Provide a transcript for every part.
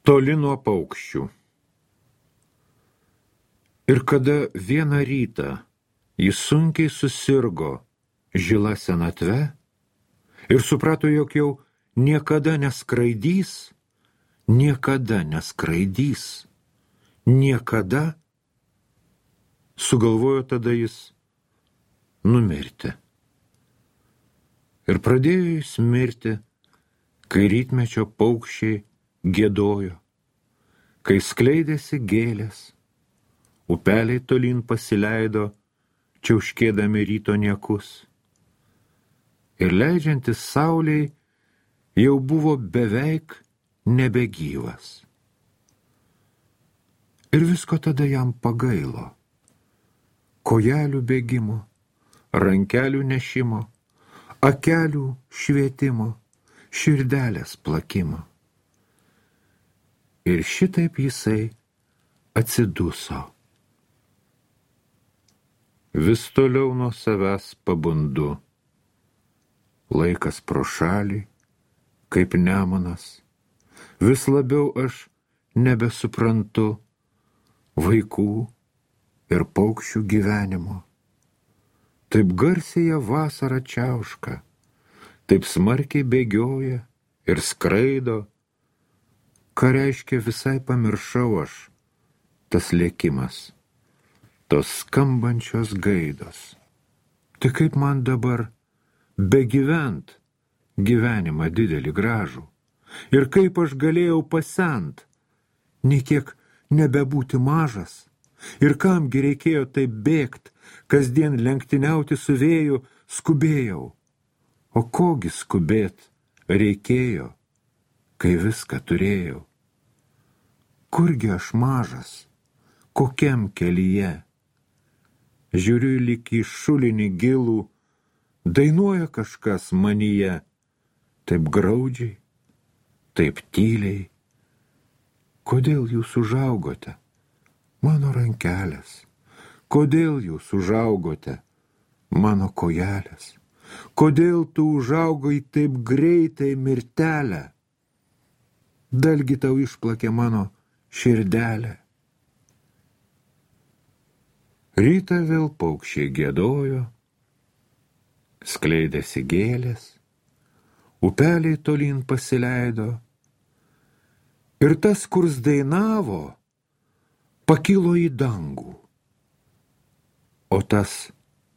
Toli nuo paukščių. Ir kada vieną rytą jis sunkiai susirgo žila senatve ir suprato, jog jau niekada neskraidys, sugalvojo tada jis numirti. Ir pradėjo jis mirti, kai rytmečio paukščiai giedojo, kai skleidėsi gėlės, upeliai tolyn pasileido, čiauškėdami ryto niekus. Ir leidžiantis saulei jau buvo beveik nebegyvas. Ir visko tada jam pagailo. Kojelių bėgimo, rankelių nešimo, akelių švietimo, širdelės plakimo. Ir šitaip jisai atsiduso. Vis toliau nuo savęs pabundu. Laikas pro šalį, kaip nemunas. Vis labiau aš nebesuprantu vaikų ir paukščių gyvenimo. Taip garsiai jie vasarą čiauška, taip smarkiai bėgioja ir skraido. Ką reiškia visai pamiršau aš, tas lėkimas, tos skambančios gaidos. Tai kaip man dabar begyvent gyvenimą didelį gražų? Ir kaip aš galėjau pasent, nei kiek nebebūti mažas? Ir kamgi reikėjo taip bėgt, kasdien lenktyniauti su vėju, skubėjau. O kogi skubėt reikėjo, kai viską turėjau? Kurgi aš mažas, kokiam kelyje? Žiūriu lyg į šulinį gilų, dainuoja kažkas manyje, taip graudžiai, taip tyliai. Kodėl jūs užaugote, mano rankelės? Kodėl jūs užaugote, mano kojelės? Kodėl tu užaugai taip greitai, mirtelę? Dalgi tau išplakė mano širdelę. Rytą vėl paukščiai giedojo, skleidėsi gėlės, upeliai tolyn pasileido, ir tas, kurs dainavo, pakilo į dangų, o tas,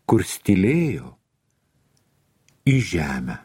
kurs tylėjo, į žemę.